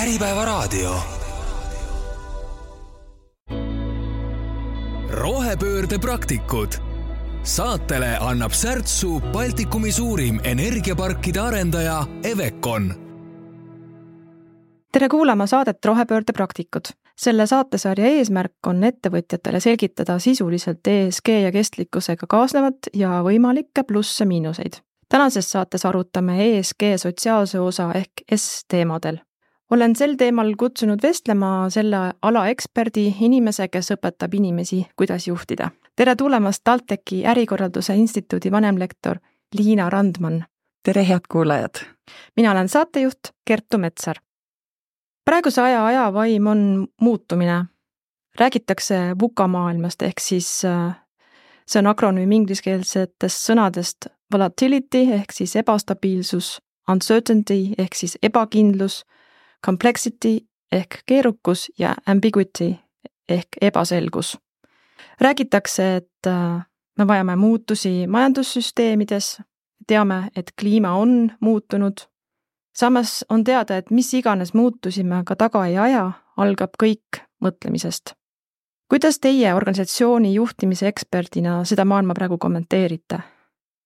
Äripäevaraadio. Rohepöörde praktikud. Saatele annab särtsu Baltikumi suurim energiaparkide arendaja Evecon. Tere kuulama saadet Rohepöörde praktikud. Selle saatesarja eesmärk on ettevõtjatele selgitada sisuliselt ESG ja kestlikkusega kaasnevat ja võimalikke plusse-miinuseid. Tänases saates arutame ESG sotsiaalse osa ehk S-teemadel. Olen sel teemal kutsunud vestlema selle ala eksperdi, inimese, kes õpetab inimesi, kuidas juhtida. Tere tulemast TalTechi ärikorralduse instituudi vanemlektor Liina Randman. Tere, head kuulajad! Mina olen saatejuht Kertu Metsar. Praeguse ajavaim on muutumine. Räägitakse VUCA maailmast ehk siis see on akronüüm ingliskeelsetest sõnadest volatility ehk siis ebastabiilsus, uncertainty ehk siis ebakindlus, complexity ehk keerukus ja ambiguity ehk ebaselgus. Räägitakse, et me vajame muutusi majandussüsteemides, teame, et kliima on muutunud. Samas on teada, et mis iganes muutusi me ka taga ei aja, algab kõik mõtlemisest. Kuidas teie organisatsiooni juhtimise eksperdina seda maailma praegu kommenteerite?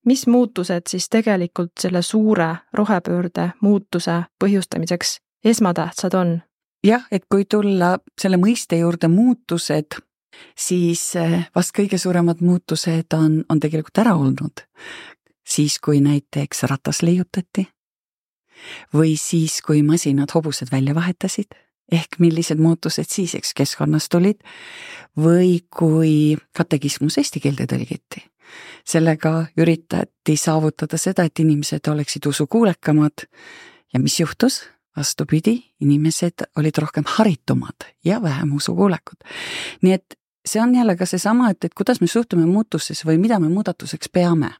Mis muutused siis tegelikult selle suure rohepöörde muutuse põhjustamiseks esmatähtsad on? Jah, et kui tulla selle mõiste juurde muutused, siis vast kõige suuremad muutused on tegelikult ära olnud. Siis, kui näiteks ratas leiutati või siis, kui masinad hobused välja vahetasid, ehk millised muutused siis keskkonnas tulid, või kui katekismus eesti keelde tõlgiti. Sellega üritati saavutada seda, et inimesed oleksid usukuulekamad ja mis juhtus? Vastupidi, inimesed olid rohkem haritumad ja vähem usukuulekud. Nii et see on jälle ka seesama, et kuidas me suhtume muutuses või mida me muudatuseks peame.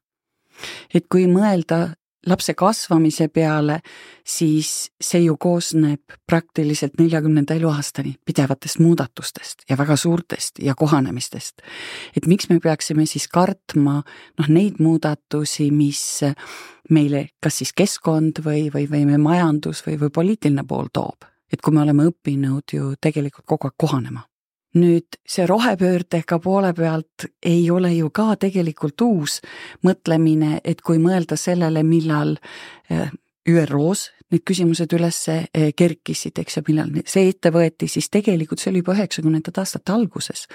Et kui mõelda lapse kasvamise peale, siis see ju koosneb praktiliselt 40. eluaastani pidevatest muudatustest ja väga suurtest ja kohanemistest. Et miks me peaksime siis kartma neid muudatusi, mis meile kas siis keskkond või me majandus või poliitiline pool toob. Et kui me oleme õppinud ju tegelikult kogu aeg kohanema. Nüüd see rohepöördega poole pealt ei ole ju ka tegelikult uus mõtlemine, et kui mõelda sellele, millal ÜROs need küsimused üles kerkisid, ja millal see ette võeti, siis tegelikult see oli juba 90. aastate alguses,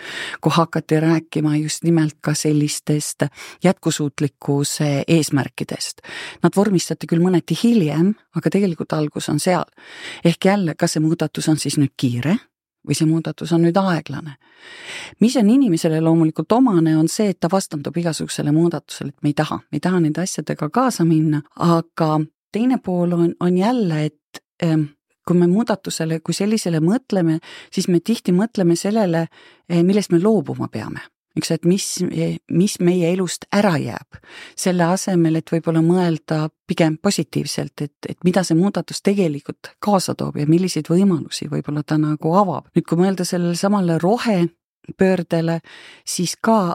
kui hakati rääkima just nimelt ka sellistest jätkusuutlikkuse eesmärkidest. Nad vormistati küll mõneti hiljem, aga tegelikult algus on seal. Ehk jälle, kas see muudatus on siis nüüd kiire? Või see muudatus on nüüd aeglane. Mis on inimesele loomulikult omane, on see, et ta vastandub igasugusele muudatusele, et me ei taha nende asjadega kaasa minna, aga teine pool on jälle, et kui me muudatusele, kui sellisele mõtleme, siis me tihti mõtleme sellele, millest me loobuma peame. Eks, et mis meie elust ära jääb, selle asemel, et võib-olla mõelda pigem positiivselt, et mida see muudatus tegelikult kaasa toob ja milliseid võimalusi võib-olla ta nagu avab. Nüüd, kui mõelda sellele samale rohepöördele, siis ka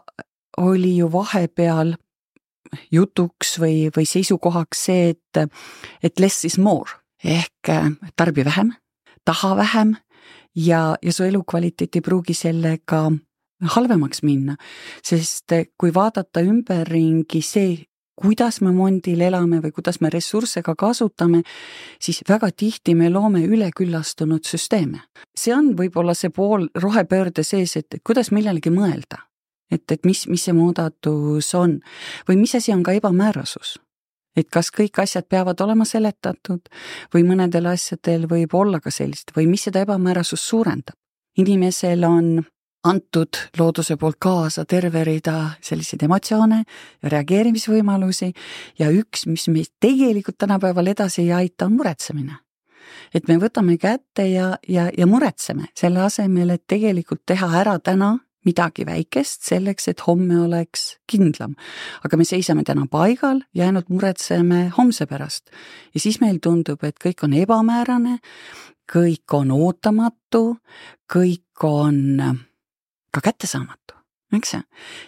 oli ju vahepeal jutuks või seisukohaks see, et less is more, ehk tarbi vähem, taha vähem ja su elukvaliteet ei pruugi sellega halvemaks minna, sest kui vaadata ümberringi see, kuidas me mondil elame või kuidas me ressursse ka kasutame, siis väga tihti me loome üleküllastunud süsteeme. See on võib-olla see pool rohepöörde sees, et kuidas millelegi mõelda, et mis see muudatus on või mis asi on ka ebamäärasus. Et kas kõik asjad peavad olema seletatud või mõnedel asjadel võib olla ka sellist või mis seda ebamäärasust suurendab. Inimesel on antud looduse poolt kaasa terve rida selliseid emotsioone ja reageerimisvõimalusi ja üks, mis meid tegelikult tänapäeval edasi ei aita, on muretsemine. Et me võtame kätte ja muretseme selle asemel, et tegelikult teha ära täna midagi väikest selleks, et homme oleks kindlam. Aga me seisame täna paigal ja ainult muretseme homse pärast. Ja siis meil tundub, et kõik on ebamäärane, kõik on ootamatu, kõik on ka kättesaamatu, eks see?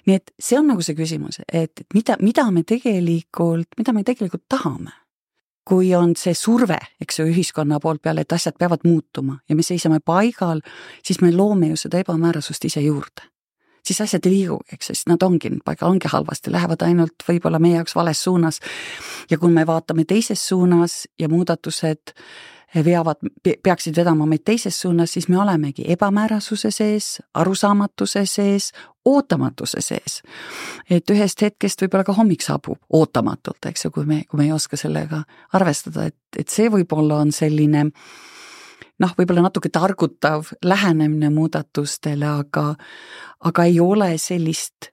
Nii et see on nagu see küsimus, et mida me tegelikult tahame. kui on see surve, eks ju, ühiskonna poolt peale, et asjad peavad muutuma ja me seisame paigal, siis me loome ju seda ebamäärasust ise juurde. Siis asjad ei liigu, eks, sest nad ongi paigal, ongi halvasti, lähevad ainult võib-olla meie jaoks vales suunas. Ja kui me vaatame teises suunas ja muudatused peaksid vedama meid teises suunas, siis me olemegi ebamäärasuse sees, arusaamatuse sees, ootamatuse sees. Et ühest hetkest võib-olla ka hommik saabub ootamatult, eks ju, kui me ei oska sellega arvestada, et see võib-olla on selline võib-olla natuke targutav lähenemine muudatustele, aga ei ole sellist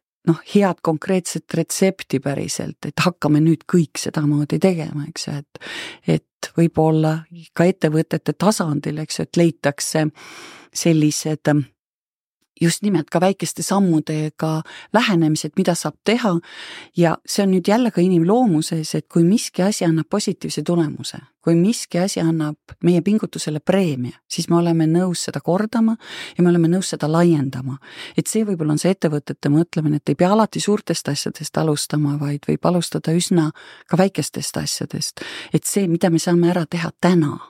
head konkreetset retsepti päriselt, et hakkame nüüd kõik sedamoodi tegema, eks ju, et võib-olla ka ettevõtete tasandil, eks ju, et leitakse sellised just nimelt ka väikeste sammudega lähenemised, mida saab teha ja see on nüüd jälle ka inimloomuses, et kui miski asi annab positiivse tulemuse, kui miski asi annab meie pingutusele preemia, siis me oleme nõus seda kordama ja me oleme nõus seda laiendama. Et see võib-olla on see ettevõtete mõtlemine, et ei pea alati suurtest asjadest alustama, vaid võib alustada üsna ka väikestest asjadest. Et see, mida me saame ära teha täna,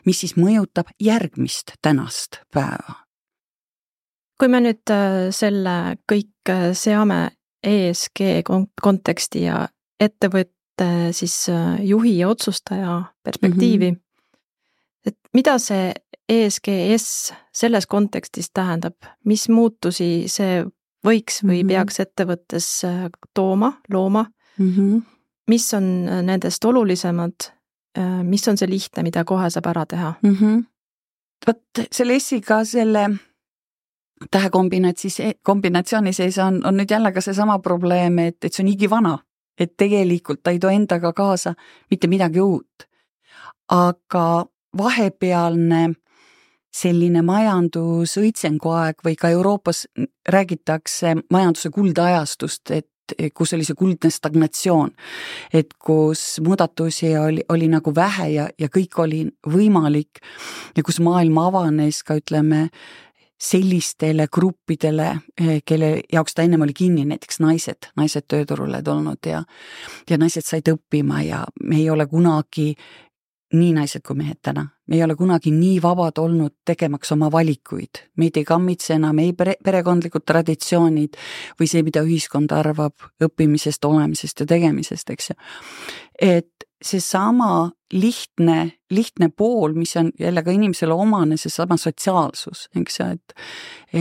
mis siis mõjutab järgmist tänast päeva. Kui me nüüd selle kõik seame ESG konteksti ja ettevõtte siis juhi ja otsustaja perspektiivi, et mida see ESGS selles kontekstis tähendab, mis muutusi see võiks või peaks ettevõttes looma, mis on nendest olulisemad, mis on see lihtne, mida kohe saab ära teha? Võt selle S-iga selle tähekombinatsiooni sees on nüüd jälle ka see sama probleem, et see on igivana, et tegelikult ta ei too endaga kaasa mitte midagi uut. Aga vahepealne selline majandusõitsengu aeg või ka Euroopas räägitakse majanduse kuldajastust, et kus oli see kuldne stagnatsioon, et kus muudatusi oli nagu vähe ja kõik oli võimalik ja kus maailm avanes ka ütleme sellistele gruppidele, kelle jaoks ta ennem oli kinni, näiteks naised tööturule tulnud ja naised said õppima ja me ei ole kunagi nii naised kui mehed täna. Me ei ole kunagi nii vabad olnud tegemaks oma valikuid. Meid ei kammitse enam ei perekondlikud traditsioonid või see, mida ühiskond arvab õppimisest, olemisest ja tegemisest, eks ju. Et see sama lihtne pool, mis on jälle ka inimesele omane, see sama sotsiaalsus, eks ju,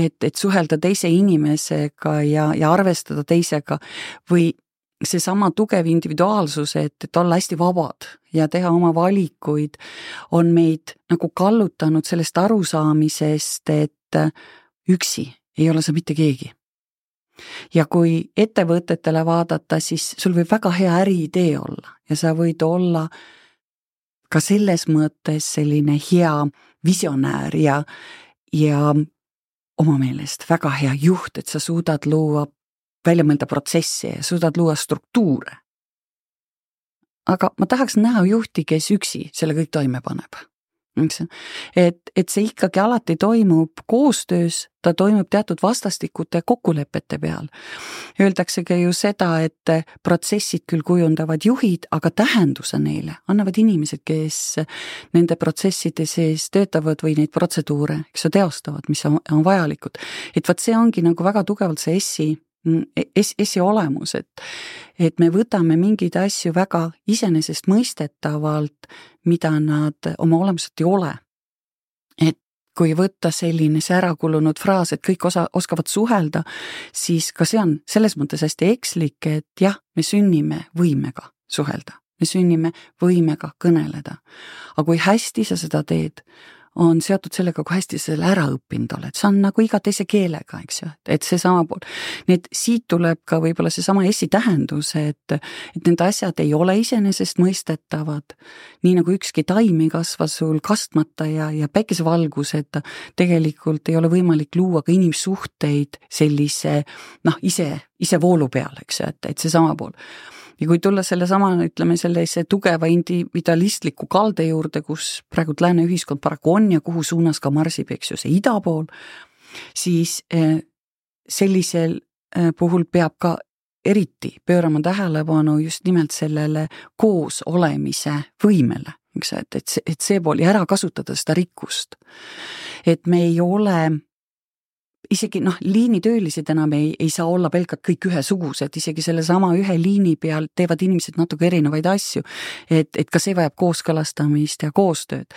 et suhelda teise inimesega ja arvestada teisega või see sama tugev individuaalsus, et olla hästi vabad ja teha oma valikuid, on meid nagu kallutanud sellest arusaamisest, et üksi ei ole sa mitte keegi. Ja kui ettevõtetele vaadata, siis sul võib väga hea äriidee olla ja sa võid olla ka selles mõttes selline hea visionäär ja oma meelest väga hea juht, et sa suudad luua välja mõelda protsessi ja suudad luua struktuure. Aga ma tahaks näha juhti, kes üksi selle kõik toime paneb. Et see ikkagi alati toimub koostöös, ta toimub teatud vastastikute kokkulepete peal. Öeldaksegi ju seda, et protsessid küll kujundavad juhid, aga tähenduse neile annavad inimesed, kes nende protsesside sees töötavad või neid protseduure, eks teostavad, mis on vajalikud. Et võt see ongi nagu väga tugevalt see S-i olemus, et me võtame mingeid asju väga iseenesestmõistetavalt, mida nad oma olemuselt ei ole. Et kui võtta selline see ärakulunud fraas, et kõik oskavad suhelda, siis ka see on selles mõttes hästi ekslik, et jah, me sünnime võimega suhelda, me sünnime võimega kõneleda. Aga kui hästi sa seda teed, on seotud sellega, kui hästi sa selle ära õppinud oled. See on nagu iga teise keelega, eks ju, et see sama pool. Nii et siit tuleb ka võib-olla see sama S-i tähendus, et need asjad ei ole iseenesest mõistetavad. Nii nagu ükski taim ei kasva sul kastmata ja päikesevalguseta, tegelikult ei ole võimalik luua ka inimsuhteid sellise ise voolu peal, eks ju, et see sama pool. Ja kui tulla selle sama, ütleme, sellise tugeva individualistliku kalde juurde, kus praegu lääne ühiskond paraku on ja kuhu suunas ka marsib, eks ju, see ida pool, siis sellisel puhul peab ka eriti pöörama tähelepanu just nimelt sellele koos olemise võimele, eks, et see pool ja ära kasutada seda rikkust. Et me ei ole isegi liinitöölised enam ei saa olla pelgalt kõik ühesugused, isegi selle sama ühe liini peal teevad inimesed natuke erinevaid asju, et ka see vajab kooskõlastamist ja koostööd.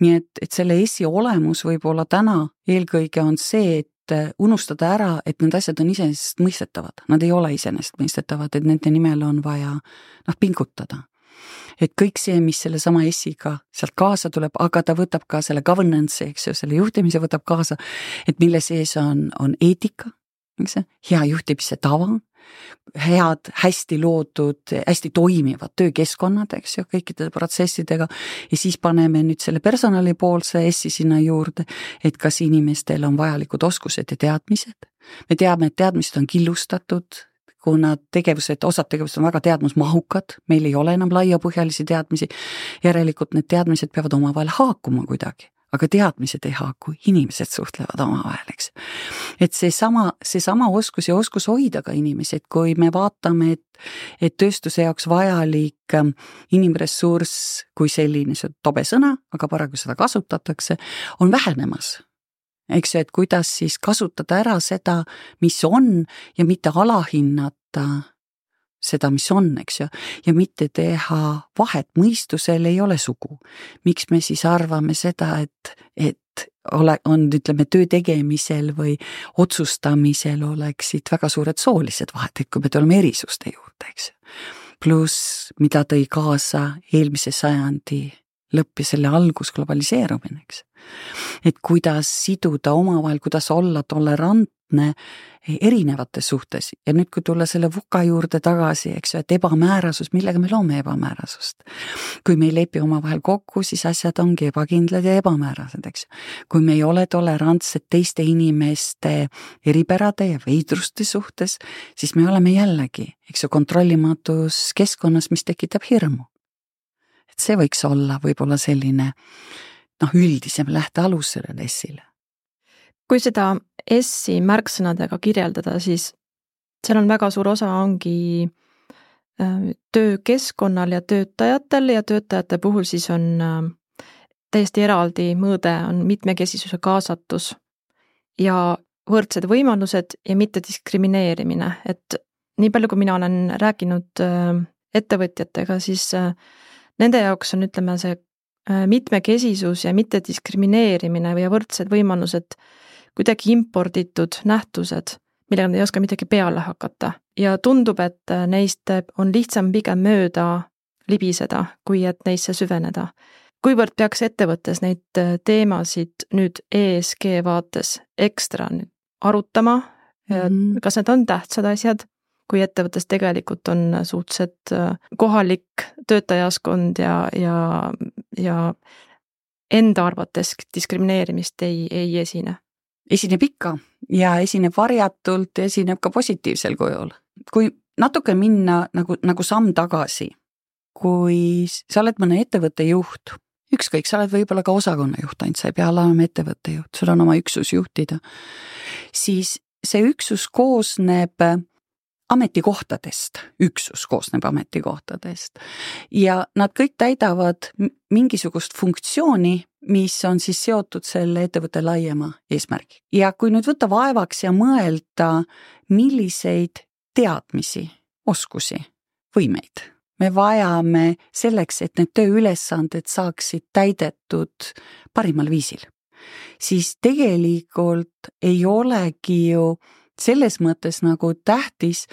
Nii et selle ESI olemus võib-olla täna eelkõige on see, et unustada ära, et need asjad on iseenesestmõistetavad. Nad ei ole iseenesestmõistetavad, et nende nimel on vaja pingutada. Et kõik see, mis selle sama ESI-ga sealt kaasa tuleb, aga ta võtab ka selle governance, eks ju, selle juhtimise võtab kaasa, et mille sees on eetika, eks ju, hea juhtimise tava, head, hästi loodud, hästi toimivad töökeskkonnad, eks ju, kõikide protsessidega ja siis paneme nüüd selle personalipoolse ESI sinna juurde, et kas inimestel on vajalikud oskused ja teadmised. Me teame, et teadmised on killustatud, kuna osad tegevused on väga teadmusmahukad, meil ei ole enam laiapõhjalisi teadmisi, järelikult need teadmised peavad omavahel haakuma kuidagi, aga teadmised ei haaku, inimesed suhtlevad omavahel, eks. Et see sama oskus ja oskus hoida ka inimesi, et kui me vaatame, et tööstuse jaoks vajalik inimressurss kui selline, see tobe sõna, aga paraku seda kasutatakse, on vähenemas. Eks, et kuidas siis kasutada ära seda, mis on ja mitte alahinnata seda, mis on, eks ju, ja mitte teha vahet, mõistusel ei ole sugu. Miks me siis arvame seda, et on, ütleme, töö tegemisel või otsustamisel oleksid väga suured soolised vahet, et kui me tuleme erisuste juurde, eks. Pluss, mida tõi kaasa eelmise sajandi lõpp ja selle algus globaliseerumine, eks. Et kuidas siduda omavahel, kuidas olla tolerantne erinevates suhtes. Ja nüüd, kui tulla selle VUCA juurde tagasi, eks, et ebamäärasus, millega me loome ebamäärasust. Kui me ei lepi omavahel kokku, siis asjad ongi ebakindlad ja ebamäärased, eks. Kui me ei ole tolerantsed teiste inimeste eripärade ja veidruste suhtes, siis me oleme jällegi, eks ju, kontrollimatus keskkonnas, mis tekitab hirmu. Et see võiks olla võib-olla selline üldisem lähtealus sellele ESI-le. Kui seda ESI märksõnadega kirjeldada, siis seal on väga suur osa ongi töökeskkonnal ja töötajate puhul siis on täiesti eraldi mõõde, on mitmekesisuse kaasatus ja võrdsed võimalused ja mitte diskrimineerimine. Et nii palju, kui mina olen rääkinud ettevõtjatega, siis nende jaoks on, ütleme, see mitmekesisus ja mitte diskrimineerimine või võrdsed võimalused kuidagi imporditud nähtused, millega nad ei oska midagi peale hakata. Ja tundub, et neist on lihtsam pigem mööda libiseda, kui et neisse süveneda. Kuivõrd peaks ettevõttes neid teemasid nüüd ESG vaates ekstra arutama, kas need on tähtsad asjad, kui ettevõttes tegelikult on suhteliselt kohalik töötajaskond ja enda arvates diskrimineerimist ei esine? Esineb ikka ja esineb varjatult ja esineb ka positiivsel kujul. Kui natuke minna nagu samm tagasi, kui sa oled mõne ettevõtte juht, ükskõik, sa oled võib-olla ka osakonna juht, ainult sa ei pea olema ettevõtte juht, sul on oma üksus juhtida, siis see üksus koosneb ametikohtadest, üksus koosneb ametikohtadest ja nad kõik täidavad mingisugust funktsiooni, mis on siis seotud selle ettevõtte laiema eesmärgi. Ja kui nüüd võtta vaevaks ja mõelda, milliseid teadmisi, oskusi, võimeid me vajame selleks, et need tööülesanded saaksid täidetud parimal viisil, siis tegelikult ei olegi ju selles mõttes nagu tähtis,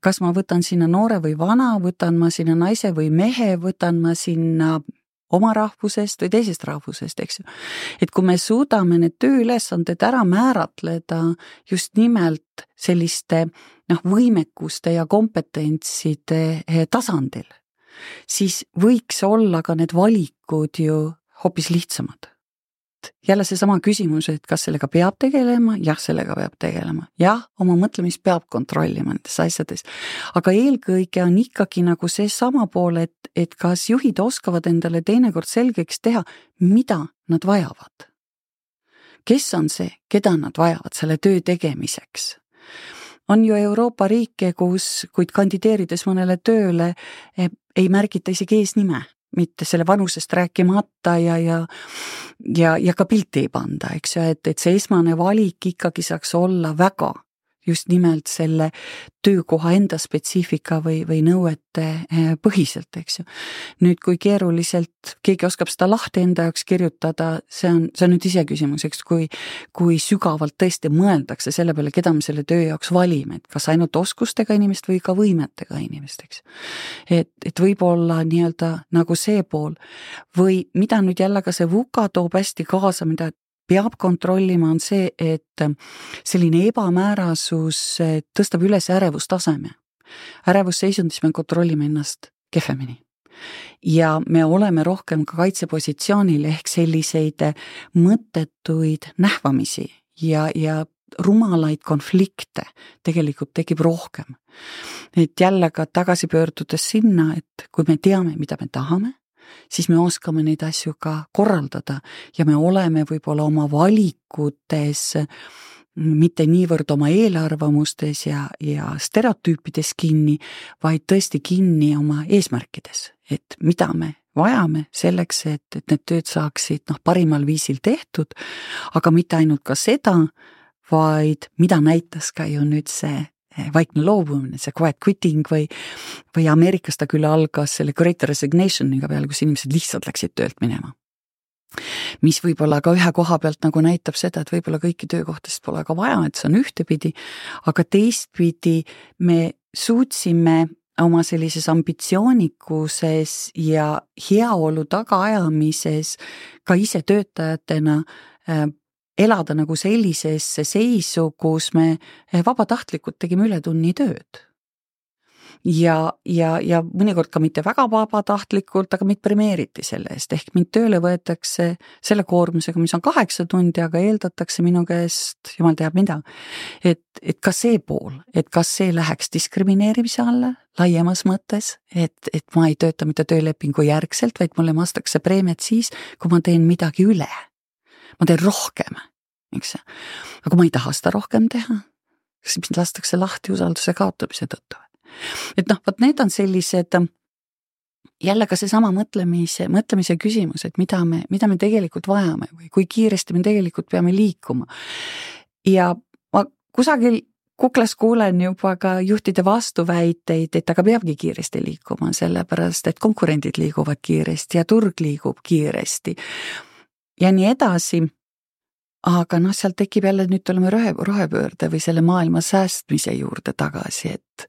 kas ma võtan sinna noore või vana, võtan ma sinna naise või mehe, võtan ma sinna oma rahvusest või teisest rahvusest, eks ju. Et kui me suudame need tööülesanded ära määratleda just nimelt selliste võimekuste ja kompetentside tasandil, siis võiks olla ka need valikud ju hoopis lihtsamad. Jälle see sama küsimus, et kas sellega peab tegelema? Jah, sellega peab tegelema. Jah, oma mõtlemist peab kontrollima nendes asjades. Aga eelkõige on ikkagi nagu see sama pool, et kas juhid oskavad endale teinekord selgeks teha, mida nad vajavad. Kes on see, keda nad vajavad selle töö tegemiseks? on ju Euroopa riike, kus, kuid kandideerides mõnele tööle, ei märgita isegi eesnime, mitte selle vanusest rääkimata ja ka pilti ei panda, eks ju, et see esmane valik ikkagi saaks olla väga just nimelt selle töökoha enda spetsiifika või nõuete põhiselt, eks ju. Nüüd, kui keeruliselt keegi oskab seda lahti enda jaoks kirjutada, see on nüüd ise küsimus, eks, kui sügavalt tõesti mõeldakse selle peale, keda me selle töö jaoks valime, et kas ainult oskustega inimest või ka võimetega inimest, eks. Et võib-olla nii-öelda nagu see pool või mida nüüd jälle ka see VUCA toob hästi kaasa, mida peab kontrollima, on see, et selline ebamäärasus tõstab üles ärevustaseme. Ärevusseisundis me kontrollime ennast kehvemini. Ja me oleme rohkem ka kaitsepositsioonil ehk selliseid mõttetuid nähvamisi ja rumalaid konflikte tegelikult tekib rohkem. Et jälle ka tagasi pöördudes sinna, et kui me teame, mida me tahame, siis me oskame neid asju ka korraldada ja me oleme võib-olla oma valikutes mitte niivõrd oma eelarvamustes ja stereotüüpides kinni, vaid tõesti kinni oma eesmärkides, et mida me vajame selleks, et need tööd saaksid parimal viisil tehtud, aga mitte ainult ka seda, vaid mida näitas ka ju nüüd see vaikne loobumine, see quiet quitting või Ameerikas ta küll algas selle great resignation'iga peale, kus inimesed lihtsalt läksid töölt minema. Mis võib-olla ka ühe koha pealt nagu näitab seda, et võib-olla kõiki töökohtast pole ka vaja, et see on ühtepidi, aga teistpidi me suutsime oma sellises ambitsioonikuses ja heaolu tagaajamises ka ise töötajatena elada nagu sellisesse seisu, kus me vabatahtlikult tegime ületunnitööd. Ja mõnikord ka mitte väga vabatahtlikult, aga meid premeeriti selle eest, ehk mind tööle võetakse selle koormusega, mis on 8 tundi, aga eeldatakse minu käest, jumal teab mida. Et ka see pool, et kas see läheks diskrimineerimise alla laiemas mõttes, et ma ei tööta mitte töölepingu järgselt, vaid mulle makstakse preemiat siis, kui ma teen midagi üle. Ma teen rohkem, eks. Aga ma ei taha seda rohkem teha, siis mind lastakse lahti usalduse kaotamise tõttu. Et võt need on sellised jälle ka seesama mõtlemise küsimus, et mida me tegelikult vajame või kui kiiresti me tegelikult peame liikuma. Ja ma kusagil kuklas kuulen juba ka juhtide vastuväiteid, et aga peabki kiiresti liikuma, sellepärast et konkurendid liiguvad kiiresti ja turg liigub kiiresti. Ja nii edasi, aga seal tekib jälle, nüüd tuleme rohepöörde või selle maailma säästmise juurde tagasi, et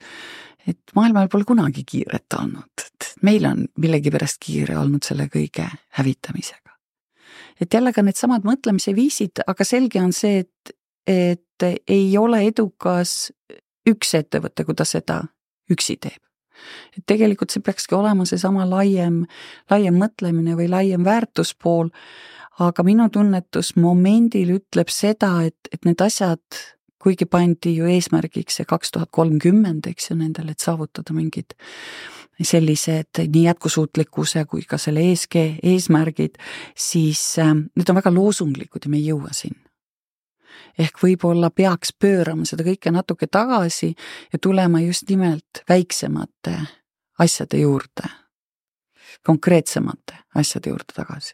maailmal pole kunagi kiiret olnud, et meil on millegipärast kiire olnud selle kõige hävitamisega. Et jälle ka need samad mõtlemise viisid, aga selge on see, et ei ole edukas üks ettevõte, kui ta seda üksi teeb. Et tegelikult see peakski olema see sama laiem mõtlemine või laiem väärtuspool, aga minu tunnetus momendil ütleb seda, et need asjad, kuigi pandi ju eesmärgiks see 2030, eks ju nendel, et saavutada mingid sellised nii jätkusuutlikkuse kui ka selle ESG eesmärgid, siis need on väga loosunglikud ja me ei jõua sinna. Ehk võib-olla peaks pöörama seda kõike natuke tagasi ja tulema just nimelt väiksemate asjade juurde, konkreetsemate asjade juurde tagasi.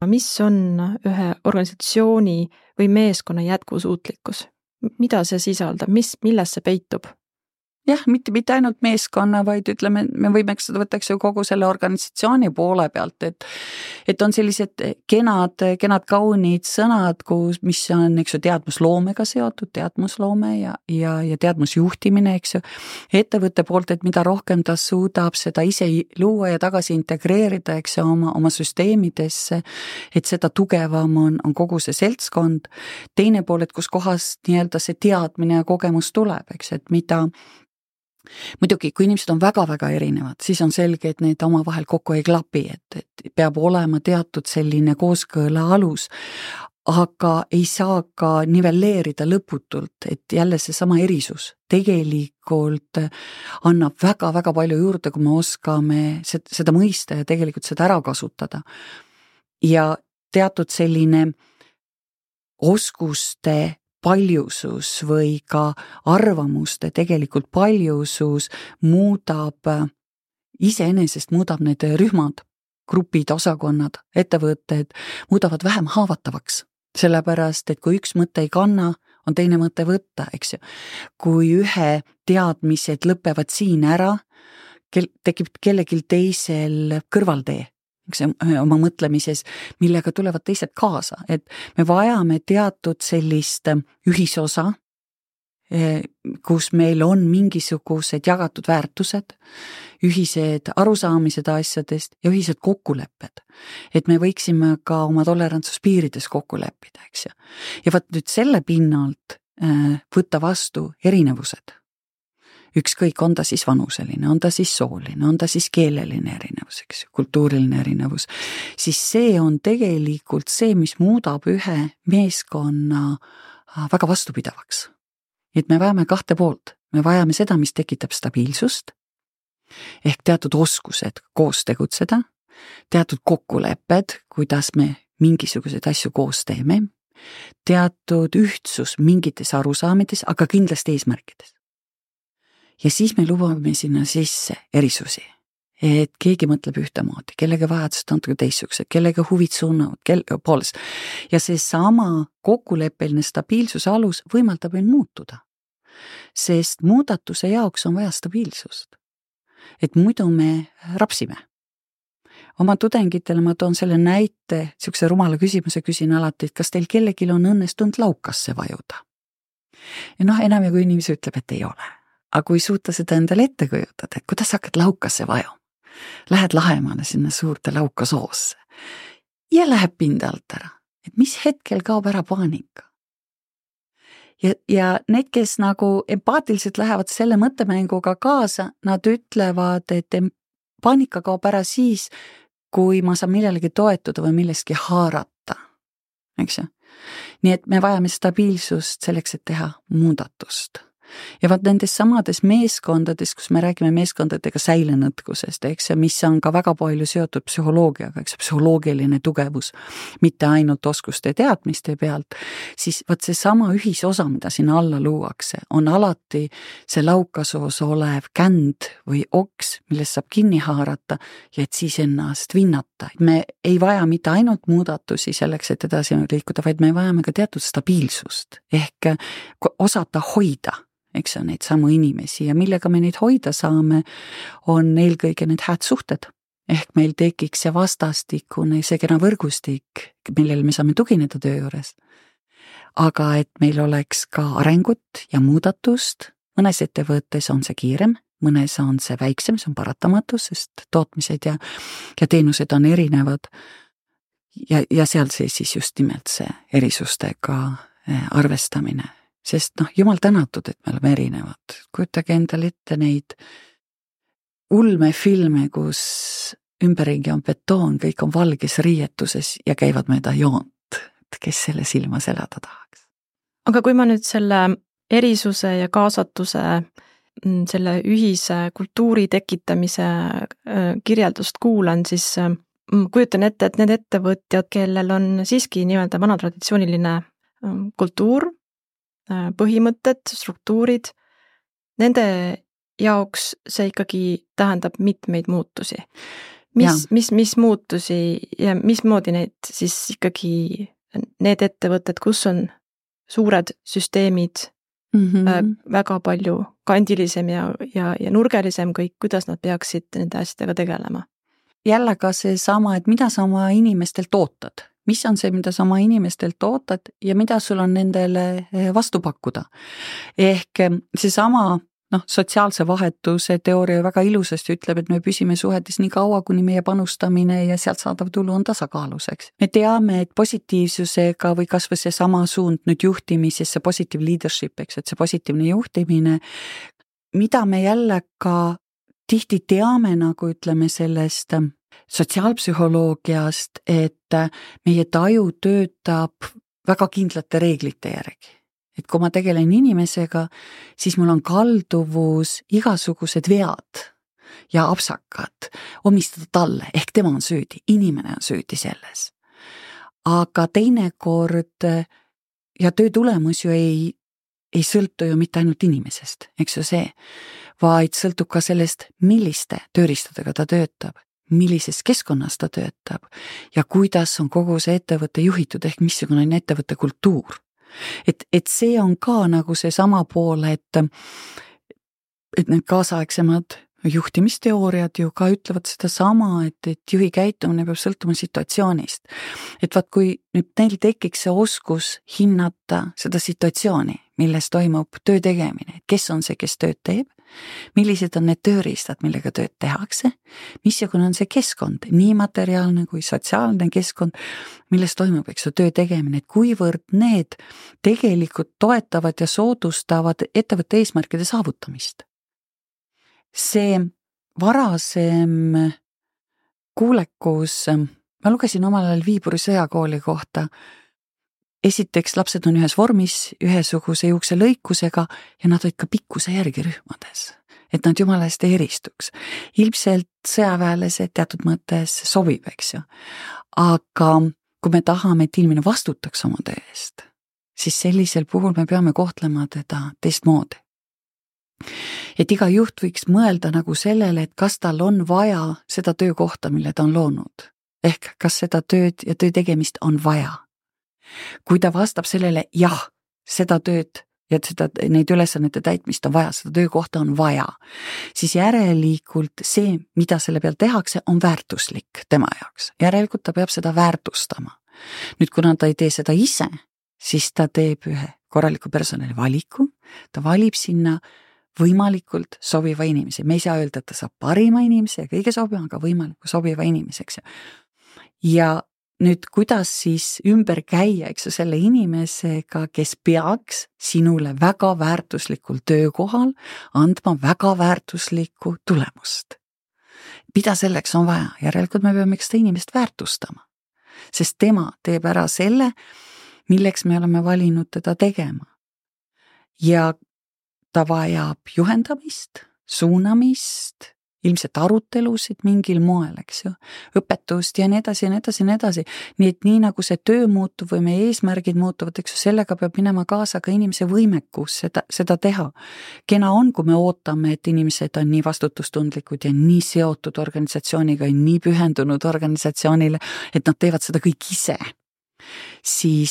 Mis on ühe organisatsiooni või meeskonna jätkusuutlikkus? Mida see sisaldab? Milles see peitub? Jah, mitte ainult meeskonna, vaid ütleme, me võime seda võtaks ju kogu selle organisatsiooni poole pealt, et on sellised kenad kaunid sõnad, mis on, eks ju, teadmusloomega seotud, teadmusloome ja teadmusjuhtimine, eks ju, ettevõtte poolt, et mida rohkem ta suudab seda ise luua ja tagasi integreerida, eks ju, oma süsteemidesse, et seda tugevam on kogu see seltskond. Teine pool, et kus kohas nii-öelda see teadmine ja kogemus tuleb, eks, et mida muidugi, kui inimesed on väga-väga erinevad, siis on selge, et need omavahel kokku ei klapi, et peab olema teatud selline kooskõla alus, aga ei saa ka nivelleerida lõputult, et jälle seesama erisus tegelikult annab väga-väga palju juurde, kui me oskame seda mõista ja tegelikult seda ära kasutada. Ja teatud selline oskuste paljusus või ka arvamuste tegelikult paljusus iseenesest muudab need rühmad, grupid, osakonnad, ettevõtted, muudavad vähem haavatavaks. Sellepärast, et kui üks mõte ei kanna, on teine mõte võtta, eks ju. Kui ühe teadmised lõpevad siin ära, tekib kellelgi teisel kõrvaltee, eks oma mõtlemises, millega tulevad teised kaasa, et me vajame teatud sellist ühisosa, kus meil on mingisugused jagatud väärtused, ühised arusaamised asjadest ja ühised kokkulepped. Et me võiksime ka oma tolerantsuspiirides kokku leppida, eks ju. Ja võt nüüd selle pinnalt võtta vastu erinevused. Ükskõik, on ta siis vanuseline, on ta siis sooline, on ta siis keeleline erinevus, eks ju, kultuuriline erinevus, siis see on tegelikult see, mis muudab ühe meeskonna väga vastupidavaks. Et me vajame kahte poolt. Me vajame seda, mis tekitab stabiilsust, ehk teatud oskused koos tegutseda, teatud kokkulepped, kuidas me mingisuguseid asju koos teeme, teatud ühtsus mingites arusaamides, aga kindlasti eesmärkides. Ja siis me lubame sinna sisse erisusi, et keegi mõtleb ühtemoodi, kellega vajadused on teistsugused, kellega huvid suunavad, poolest. Ja see sama kokkuleppeline stabiilsuse alus võimaldab meil muutuda, sest muudatuse jaoks on vaja stabiilsust, et muidu me rapsime. Oma tudengitele ma toon selle näite, siukse rumala küsimuse küsin alati, et kas teil kellelgi on õnnestunud laukasse vajuda? Ja enam kui inimesi ütleb, et ei ole. Aga kui suuta seda endale ette kujutada, et kuidas hakkad laukasse vajuma? Lähed Lahemaale sinna suurde laukasoosse ja läheb pinda alt ära, et mis hetkel kaob ära paanika. Ja need, kes nagu empaatiliselt lähevad selle mõttemänguga kaasa, nad ütlevad, et paanika kaob ära siis, kui ma saan millelegi toetuda või milleski haarata, eks ju. Nii et me vajame stabiilsust selleks, et teha muudatust. Ja vaat nendes samades meeskondades, kus me räägime meeskondadega säilenõtkusest, eks, mis on ka väga palju seotud psühholoogiaga, eks, psühholoogiline tugevus, mitte ainult oskuste teadmiste pealt, siis vaat see sama ühisosa, mida sinna alla luuakse, on alati see laukasoos olev känd või oks, millest saab kinni haarata ja et siis ennast vinnata. Me ei vaja mitte ainult muudatusi selleks, et edasi liikuda, vaid me vajame ka teatud stabiilsust ehk osata hoida, eks on neid samu inimesi ja millega me neid hoida saame, on eelkõige need hääd suhted. Ehk meil tekiks see vastastikune, see kena võrgustik, millele me saame tugineda töö juures. Aga et meil oleks ka arengut ja muudatust, mõnes ettevõttes on see kiirem, mõnes on see väiksem, see on paratamatus, sest tootmised ja teenused on erinevad ja seal see siis just nimelt see erisustega arvestamine. Sest jumal tänatud, et me oleme erinevad. Kujutage endale ette neid ulmefilme, kus ümberringi on betoon, kõik on valges riietuses ja käivad mööda joont. Kes selle silmas elada tahaks? Aga kui ma nüüd selle erisuse ja kaasatuse, selle ühise kultuuri tekitamise kirjeldust kuulan, siis kujutan ette, et need ettevõtjad, kellel on siiski nii-öelda vanatraditsiooniline kultuur, põhimõtted, struktuurid, nende jaoks see ikkagi tähendab mitmeid muutusi. Mis muutusi ja mismoodi neid siis ikkagi need ettevõtted, kus on suured süsteemid, väga palju kandilisem ja nurgelisem kõik, kuidas nad peaksid nende asjadega tegelema? Jälle ka see sama, et mida sa oma inimestelt ootad? Mis on see, mida sa oma inimestelt ootad ja mida sul on nendele vastu pakkuda? Ehk see sama sotsiaalse vahetuse teooria väga ilusasti ütleb, et me püsime suhetes nii kaua, kuni meie panustamine ja sealt saadav tulu on tasakaaluseks. Me teame, et positiivsusega või kas või see sama suund nüüd juhtimises, see positive leadership, eks, et see positiivne juhtimine, mida me jälle ka tihti teame, nagu ütleme sellest sotsiaalpsühholoogiast, et meie taju töötab väga kindlate reeglite järgi. Et kui ma tegelen inimesega, siis mul on kalduvus igasugused vead ja apsakad omistada talle, ehk tema on süüdi, inimene on süüdi selles. Aga teinekord ja töö tulemus ju ei sõltu ju mitte ainult inimesest, eks ju see, vaid sõltub ka sellest, milliste tööriistadega ta töötab, millises keskkonnas ta töötab ja kuidas on kogu see ettevõte juhitud ehk missugune on ettevõtte kultuur. Et see on ka nagu see sama pool, et need kaasaegsemad juhtimisteooriad ju ka ütlevad seda sama, et juhi käitumine peab sõltuma situatsioonist. Et vaat kui nüüd neil tekiks see oskus hinnata seda situatsiooni, milles toimub töö tegemine, et kes on see, kes tööd teeb, millised on need tööriistad, millega tööd tehakse, missugune on see keskkond, nii materiaalne kui sotsiaalne keskkond, milles toimub, eks ju, töö tegemine, et kuivõrd need tegelikult toetavad ja soodustavad ettevõtte eesmärkide saavutamist. See varasem kuulekus, ma lugesin omal ajal Viipuri sõjakooli kohta. Esiteks lapsed on ühes vormis, ühesuguse juukselõikusega ja nad olid ka pikkuse järgi rühmades, et nad jumala eest ei eristuks. Ilmselt sõjaväelased teatud mõttes sobib, eks ju. Aga kui me tahame, et inimene vastutaks oma töö eest, siis sellisel puhul me peame kohtlema teda teistmoodi. Et iga juht võiks mõelda nagu sellele, et kas tal on vaja seda töökohta, mille ta on loonud. Ehk kas seda tööd ja töö tegemist on vaja. Kui ta vastab sellele, jah, seda tööd ja neid ülesannete täitmist on vaja, seda töökohta on vaja, siis järelikult see, mida selle peal tehakse, on väärtuslik tema jaoks. Järelikult ta peab seda väärtustama. Nüüd, kuna ta ei tee seda ise, siis ta teeb ühe korraliku personali valiku, ta valib sinna võimalikult sobiva inimese. Me ei saa öelda, et ta saab parima inimese ja kõige sobiva, aga võimalikult sobiva inimeseks. Ja nüüd, kuidas siis ümber käia, eks ju, selle inimesega, kes peaks sinule väga väärtuslikul töökohal andma väga väärtuslikku tulemust. Mida selleks on vaja? Järelikult me peame seda inimest väärtustama, sest tema teeb ära selle, milleks me oleme valinud teda tegema. Ja ta vajab juhendamist, suunamist, ilmselt arutelusid mingil moel, eks ju, õpetust ja nii edasi ja nii edasi ja nii edasi. Nii et nii nagu see töö muutub või meie eesmärgid muutuvad, eks ju, sellega peab minema kaasa ka inimese võimekus seda teha. Kena on, kui me ootame, et inimesed on nii vastutustundlikud ja nii seotud organisatsiooniga ja nii pühendunud organisatsioonile, et nad teevad seda kõik ise. Siis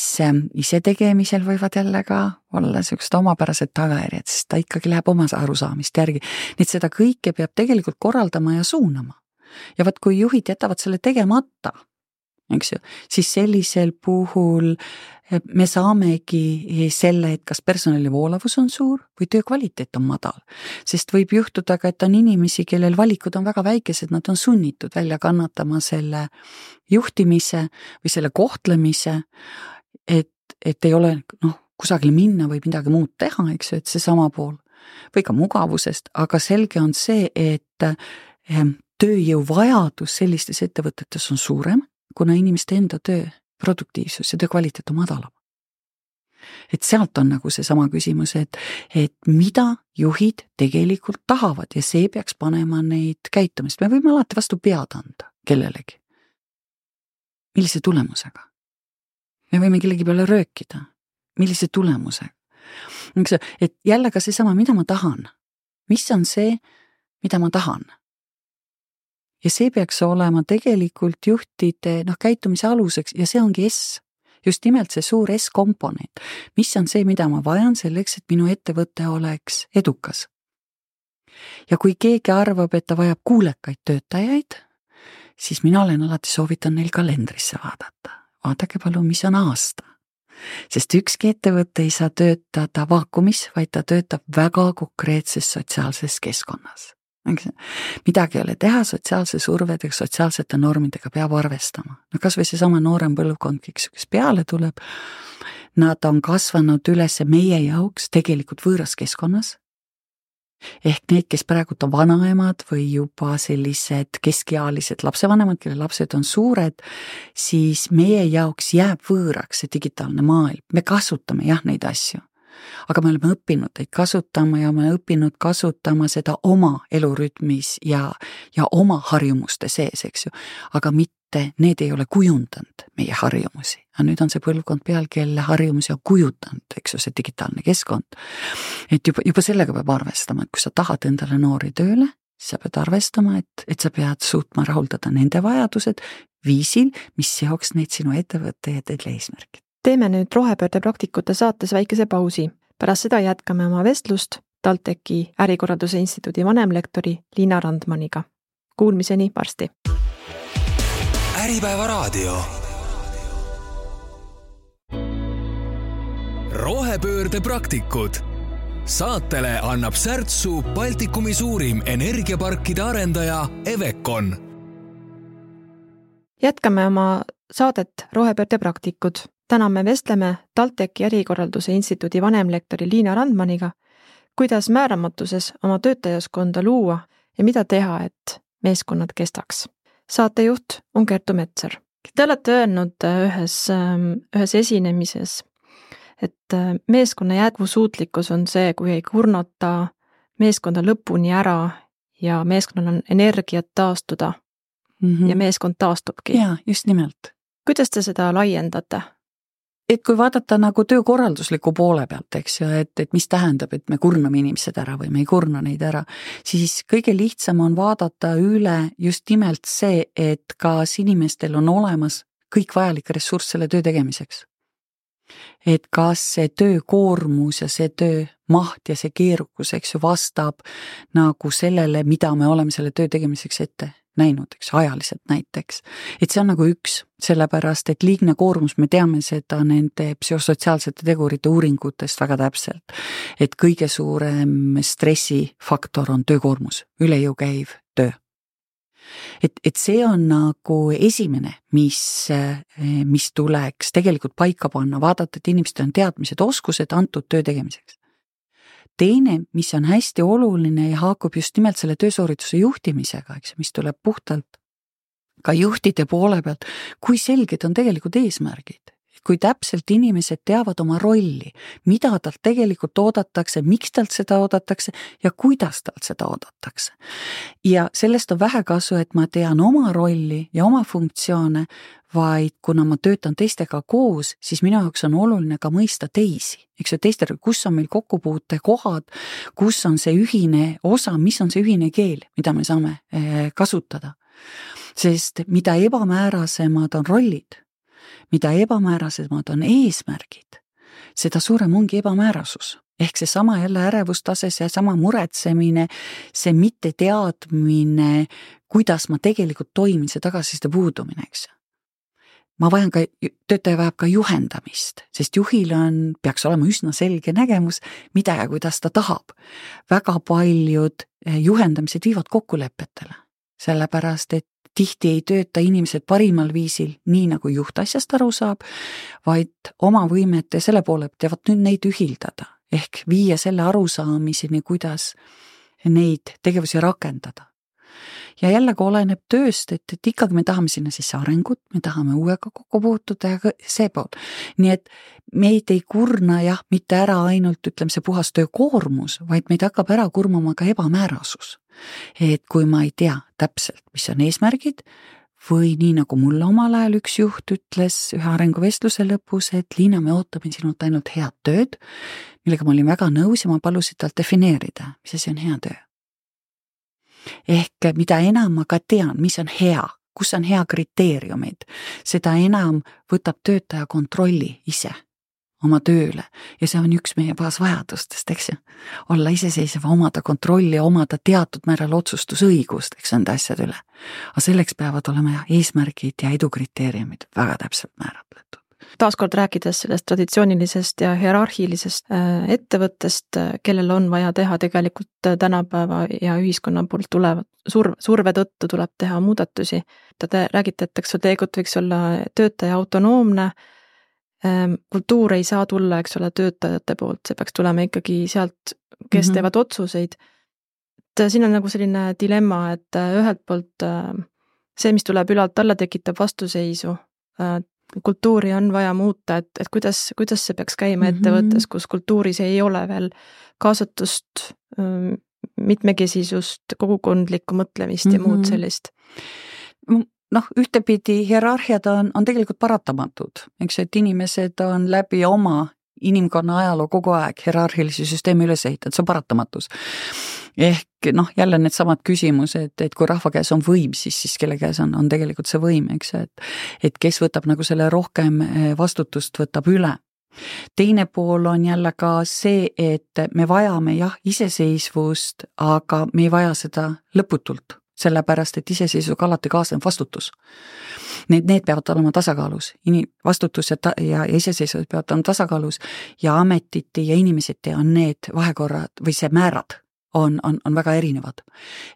ise tegemisel võivad jälle ka olla sellised omapärased tagajärjed, sest ta ikkagi läheb oma arusaamist järgi. Nii et seda kõike peab tegelikult korraldama ja suunama. Ja vaat kui juhid jätavad selle tegemata, eks ju, siis sellisel puhul me saamegi selle, et kas personali voolavus on suur või töö kvaliteet on madal. Sest võib juhtuda ka, et on inimesi, kellel valikud on väga väikesed, nad on sunnitud välja kannatama selle juhtimise või selle kohtlemise, et ei ole kusagil minna või midagi muud teha, eks ju, et see sama pool. Või ka mugavusest, aga selge on see, et tööjõu vajadus sellistes ettevõtetes on suurem, kuna inimeste enda töö produktiivsus ja töö kvaliteet on madalam. Et sealt on nagu see sama küsimus, et mida juhid tegelikult tahavad ja see peaks panema neid käitumist. Me võime alati vastu pead anda kellelegi. Millise tulemusega? Me võime kellegi peale röökida. Millise tulemusega? Et jälle ka see sama, mida ma tahan. Mis on see, mida ma tahan? Ja see peaks olema tegelikult juhtide käitumise aluseks ja see ongi S. Just nimelt see suur S-komponent. Mis on see, mida ma vajan selleks, et minu ettevõte oleks edukas. Ja kui keegi arvab, et ta vajab kuulekaid töötajaid, siis mina olen alati soovitan neil kalendrisse vaadata. Vaadake palun, mis on aasta. Sest ükski ettevõte ei saa töötada vaakumis, vaid ta töötab väga konkreetses sotsiaalses keskkonnas. Midagi ei ole teha, sotsiaalse survedega, sotsiaalsete normidega peab arvestama. Kas või see sama noorem põlvkond, kes peale tuleb, nad on kasvanud üles meie jaoks tegelikult võõras keskkonnas. Ehk need, kes praegu on vanaemad või juba sellised keskealised lapsevanemad, kelle lapsed on suured, siis meie jaoks jääb võõraks see digitaalne maailm. Me kasutame jah neid asju, aga me oleme õppinud neid kasutama ja me oleme õppinud kasutama seda oma elurütmis ja oma harjumuste sees, eks ju, aga mitte, need ei ole kujundanud meie harjumusi. Ja nüüd on see põlvkond peal, kelle harjumusi on kujutanud, eks ju, see digitaalne keskkond. Et juba sellega peab arvestama, et kui sa tahad endale noori tööle, sa pead arvestama, et sa pead suutma rahuldada nende vajadused viisil, mis seoks neid sinu ettevõtte ja teile eesmärgid. Teeme nüüd rohepöörde praktikute saates väikese pausi. Pärast seda jätkame oma vestlust TalTechi ärikorralduse instituudi vanemlektori Liina Randmaniga. Kuulmiseni varsti. Äripäeva raadio. Rohepöörde praktikud. Saatele annab särtsu Baltikumi suurim energiaparkide arendaja Evecon. Jätkame oma saadet Rohepöörde praktikud. Täna me vestleme TalTechi ärikorralduse instituudi vanemlektori Liina Randmaniga, kuidas määramatuses oma töötajaskonda luua ja mida teha, et meeskonnad kestaks. Saatejuht on Kertu Metsar. Te olete öelnud ühes esinemises, et meeskonna jätkusuutlikkus on see, kui ei kurnata meeskonda lõpuni ära ja meeskonnal on energiat taastuda ja meeskond taastubki. Jaa, just nimelt. Kuidas te seda laiendate? Et kui vaadata nagu töökorraldusliku poole pealt, eks ju, et mis tähendab, et me kurname inimesed ära või me ei kurna neid ära, siis kõige lihtsam on vaadata üle just nimelt see, et kas inimestel on olemas kõik vajalik ressurss selle töö tegemiseks. Et kas see töökoormus ja see töö maht ja see keerukus, eks ju, vastab nagu sellele, mida me oleme selle töö tegemiseks ette näinud, eks, ajaliselt näiteks. Et see on nagu üks, sellepärast, et liigne koormus, me teame seda nende psühhosotsiaalsete tegurite uuringutest väga täpselt, et kõige suurem stressifaktor on töökoormus, üle jõu käiv töö. Et see on nagu esimene, mis tuleks tegelikult paika panna, vaadata, et inimestel on teadmised, oskused antud töö tegemiseks. Teine, mis on hästi oluline ja haakub just nimelt selle töösoorituse juhtimisega, eks, mis tuleb puhtalt ka juhtide poole pealt, kui selged on tegelikult eesmärgid. Kui täpselt inimesed teavad oma rolli, mida talt tegelikult oodatakse, miks talt seda oodatakse ja kuidas talt seda oodatakse. Ja sellest on vähe kasu, et ma tean oma rolli ja oma funktsioone, vaid kuna ma töötan teistega koos, siis minu jaoks on oluline ka mõista teisi. Eks ju, teistele, kus on meil kokkupuute kohad, kus on see ühine osa, mis on see ühine keel, mida me saame kasutada. Sest mida ebamäärasemad on rollid, mida ebamäärasemad on eesmärgid, seda suurem ongi ebamäärasus. Ehk see sama jälle ärevustase, see sama muretsemine, see mitte teadmine, kuidas ma tegelikult toimin, see tagasiside puudumine, eks. Töötaja vajab ka juhendamist, sest juhil peaks olema üsna selge nägemus, mida ja kuidas ta tahab. Väga paljud juhendamised viivad kokkulepetele, sellepärast, et tihti ei tööta inimesed parimal viisil, nii nagu juht asjast aru saab, vaid oma võimete selle poole teevad nüüd neid ühildada, ehk viia selle arusaamiseni, kuidas neid tegevusi rakendada. Ja jällegi oleneb tööst, et ikkagi me tahame sinna sisse arengut, me tahame uuega kokku puutuda ja see pool. Nii et meid ei kurna mitte ära ainult, ütleme, see puhas töökoormus, vaid meid hakkab ära kurmama ka ebamäärasus. Et kui ma ei tea täpselt, mis on eesmärgid, või nii nagu mulle omal ajal üks juht ütles ühe arenguvestluse lõpus, et Liina, me ootame sinult ainult head tööd, millega ma olin väga nõus ja ma palusin talt defineerida, mis asi on hea töö. Ehk mida enam ma ka tean, mis on hea, kus on hea kriteeriumid, seda enam võtab töötaja kontrolli ise oma tööle ja see on üks meie baasvajadustest, eks ju. Olla iseseisev, omada kontrolli ja omada teatud määral otsustusõigust, eks nende asjad üle. Aga selleks peavad olema eesmärgid ja edukriteeriumid väga täpselt määratletud. Taaskord rääkides sellest traditsioonilisest ja hierarhilisest ettevõttest, kellel on vaja teha tegelikult tänapäeva ja ühiskonna poolt tulevad surve tõttu tuleb teha muudatusi. Te räägite, et tegelikult võiks olla töötaja autonoomne, kultuur ei saa tulla, eks ole, töötajate poolt, see peaks tulema ikkagi sealt, kes teevad otsuseid. Siin on nagu selline dilemma, et ühelt poolt see, mis tuleb ülalt alla, tekitab vastuseisu kultuuri on vaja muuta, et kuidas see peaks käima ettevõttes, kus kultuuris ei ole veel kaasatust, mitmekesisust, kogukondlikku mõtlemist ja muud sellist? Ühtepidi hierarhiad on tegelikult paratamatud, eks, et inimesed on läbi oma inimkonna ajaloo kogu aeg hierarhilisi süsteemi üles ehitanud, see on paratamatus. Ehk jälle need samad küsimused, et kui rahva käes on võim, siis kelle käes on tegelikult see võim, eks, et kes võtab nagu selle rohkem vastutust, võtab üle. Teine pool on jälle ka see, et me vajame iseseisvust, aga me ei vaja seda lõputult, sellepärast, et iseseisvuga alati kaasneb vastutus. Need peavad olema tasakaalus, vastutus ja iseseisvus peavad olema tasakaalus ja ametiti ja inimeseti on need vahekorrad või see määrad on väga erinevad.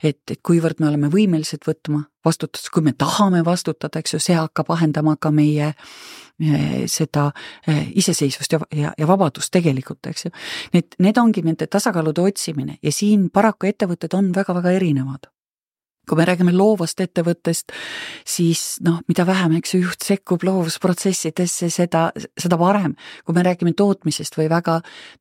Et kuivõrd me oleme võimelised võtma vastutust, kui me tahame vastutada, eks ju, see hakkab vahendama ka meie seda iseseisvust ja vabadust tegelikult, eks ju. Need ongi nende tasakaalude otsimine ja siin paraku ettevõtted on väga-väga erinevad. Kui me räägime loovast ettevõttest, siis mida vähem, eks ju, juht sekkub loovusprotsessidesse, seda parem. Kui me räägime tootmisest või väga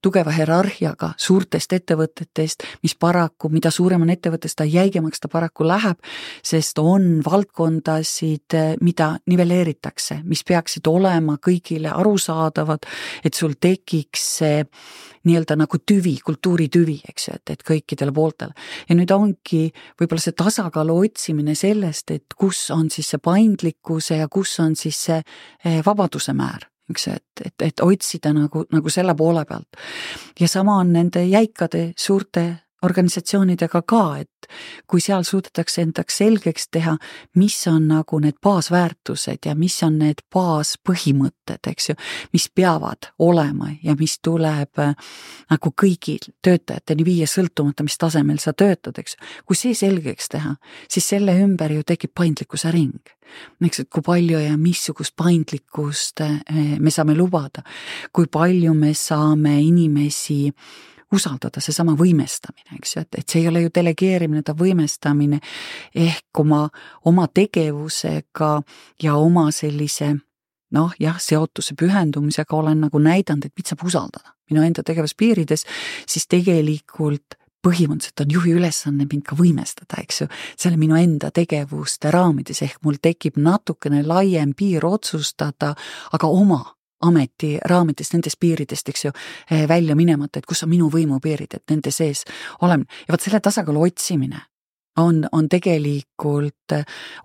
tugeva hierarhiaga suurtest ettevõtetest, mis paraku, mida suurem on ettevõttest, ta jäigemaks ta paraku läheb, sest on valdkondasid, mida nivelleeritakse, mis peaksid olema kõigile arusaadavad, et sul tekiks see nii-öelda nagu tüvi, kultuuritüvi, eks ju, et kõikidele pooltele. Ja nüüd ongi võib-olla see tasakaalu otsimine sellest, et kus on siis see paindlikkuse ja kus on siis see vabaduse määr, eks ju, et otsida nagu selle poole pealt. Ja sama on nende jäikade suurte organisatsioonidega ka, et kui seal suudetakse endaks selgeks teha, mis on nagu need baasväärtused ja mis on need baaspõhimõtted, eks ju, mis peavad olema ja mis tuleb nagu kõigil töötajateni viia sõltumata, mis tasemel sa töötad, eks ju. Kui see selgeks teha, siis selle ümber ju tekib paindlikkuse ring. Eks, et kui palju ja missugust paindlikkust me saame lubada, kui palju me saame inimesi usaldada, see sama võimestamine, eks ju, et see ei ole ju delegeerimine, ta võimestamine ehk oma tegevusega ja oma sellise seotuse pühendumisega olen nagu näidanud, et mind saab usaldada minu enda tegevuspiirides, siis tegelikult põhimõtteliselt on juhi ülesanne mind ka võimestada, eks ju, selle minu enda tegevuste raamides ehk mul tekib natukene laiem piir otsustada, aga oma ameti raamidest, nendest piiridest, eks ju, välja minemata, et kus on minu võimupiirid, et nende sees oleme. Ja vaat selle tasakaalu otsimine on tegelikult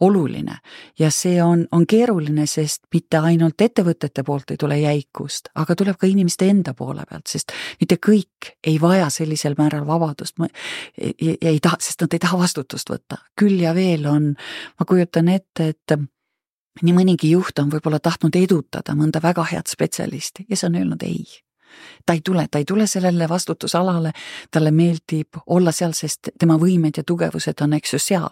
oluline ja see on keeruline, sest mitte ainult ettevõtete poolt ei tule jäikust, aga tuleb ka inimeste enda poole pealt, sest mitte kõik ei vaja sellisel määral vabadust ja ei taha, sest nad ei taha vastutust võtta. Küll ja veel on, ma kujutan ette, et nii mõnigi juht on võib-olla tahtnud edutada mõnda väga head spetsialisti ja see on öelnud ei. Ta ei tule sellele vastutusalale, talle meeldib olla seal, sest tema võimed ja tugevused on, eks ju, seal.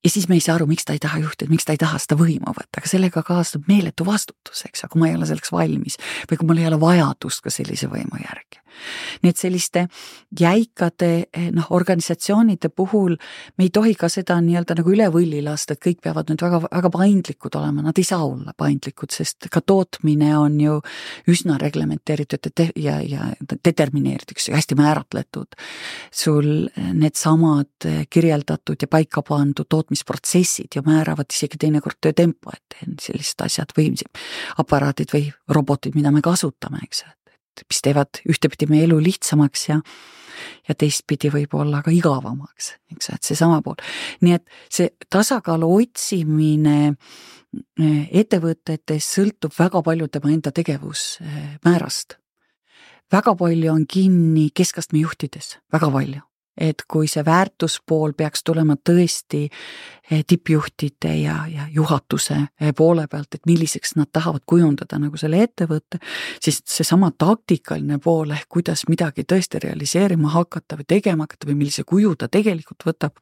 Ja siis me ei saa aru, miks ta ei taha juhtida, miks ta ei taha seda võimu võtta, aga sellega kaasneb meeletu vastutus, eks, kui ma ei ole selleks valmis või kui mul ei ole vajadust ka sellise võimu järgi. Nii et selliste jäikade organisatsioonide puhul me ei tohi ka seda nii-öelda nagu üle võlli lasta, et kõik peavad nüüd väga, väga paindlikud olema, nad ei saa olla paindlikud, sest ka tootmine on ju üsna reglementeeritud ja determineeritud, hästi määratletud. Sul need samad kirjeldatud ja paika pandud tootmisprotsessid ja määravad isegi teinekord töötempo, et sellised asjad või aparaadid või robotid, mida me kasutame, eks, mis teevad ühtepidi meie elu lihtsamaks ja teistpidi võib-olla ka igavamaks, eks, et see sama pool. Nii et see tasakaalu otsimine ettevõtetes sõltub väga palju tema enda tegevusmäärast. Väga palju on kinni keskastme juhtides, väga palju. Et kui see väärtuspool peaks tulema tõesti tippjuhtide ja juhatuse poole pealt, et milliseks nad tahavad kujundada nagu selle ettevõtte, siis see sama taktikaline pool, kuidas midagi tõesti realiseerima hakata või tegema hakata või millise kuju ta tegelikult võtab,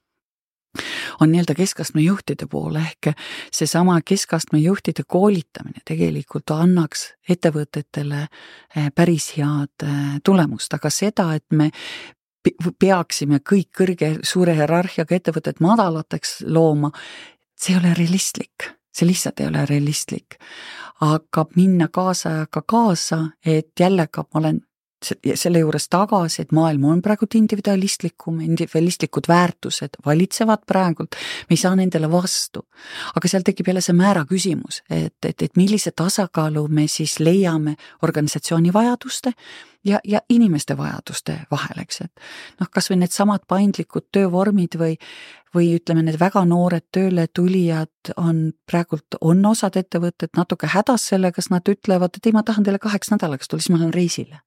on nii-öelda keskastme juhtide pool ehk see sama keskastme juhtide koolitamine tegelikult annaks ettevõtetele päris head tulemust, aga seda, et me peaksime kõik suure hierarhiaga ettevõtted madalateks looma, see ei ole realistlik. See lihtsalt ei ole realistlik. hakkab minna kaasajaga kaasa, et jällegi ma olen selle juures tagasi, et maailm on praegu individualistlikud väärtused valitsevad praegult, me ei saa nendele vastu. Aga seal tekib jälle see määra küsimus, et millise tasakaalu me siis leiame organisatsiooni vajaduste ja inimeste vajaduste vahel, eks, et kas või need samad paindlikud töövormid või ütleme, need väga noored tööle tulijad on osad ettevõtted natuke hädas sellega, kas nad ütlevad, et ei, ma tahan teile 8 nädalaks tulla, siis ma lähen reisile.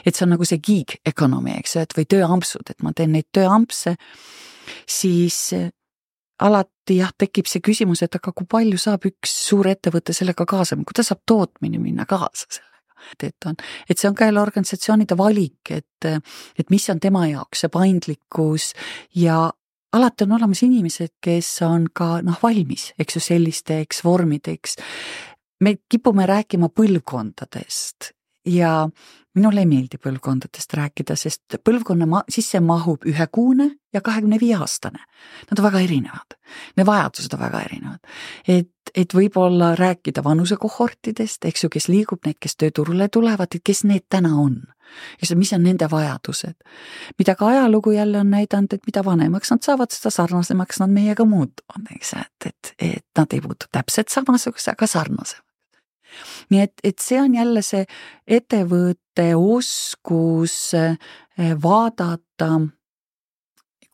Et see on nagu see gig economy, eks, et või tööampsud, et ma teen neid tööampse, siis alati tekib see küsimus, et aga kui palju saab üks suur ettevõte sellega kaasa, kuidas saab tootmine minna kaasa sellega. Et see on ka jälle organisatsioonide valik, et mis on tema jaoks see paindlikkus ja alati on olemas inimesed, kes on ka valmis, eks ju, sellisteks vormideks. Me kipume rääkima põlvkondadest ja minule ei meeldi põlvkondadest rääkida, sest põlvkonna sisse mahub 1-kuune ja 25-aastane. Nad on väga erinevad. Need vajadused on väga erinevad. Et võib-olla rääkida vanusekohortidest, eks ju, kes liigub, need, kes tööturule tulevad, et kes need täna on. Mis on nende vajadused. Mida ka ajalugu jälle on näidanud, et mida vanemaks nad saavad, seda sarnasemaks nad meiega muutuvad. Eks, et nad ei muutu täpselt samasuguse, aga sarnasemaks. Nii et see on jälle see ettevõtte oskus vaadata,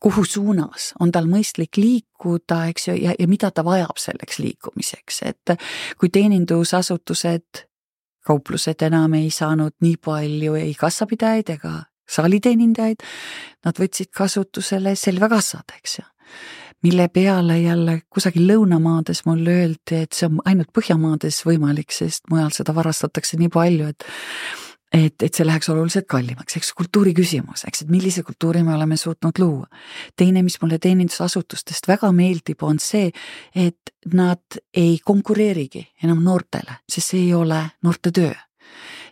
kuhu suunas on tal mõistlik liikuda, eks ju, ja mida ta vajab selleks liikumiseks, et kui teenindusasutused, kauplused enam ei saanud nii palju ei kassapidajaid ega saaliteenindajaid, nad võtsid kasutusele selvekassad, eks ju. Mille peale jälle kusagil lõunamaades mulle öeldi, et see on ainult Põhjamaades võimalik, sest mujal seda varastatakse nii palju, et see läheks oluliselt kallimaks, eks kultuuri küsimus, eks, et millise kultuuri me oleme suutnud luua. Teine, mis mulle teenindusasutustest väga meeldib, on see, et nad ei konkureerigi enam noortele, sest see ei ole noorte töö.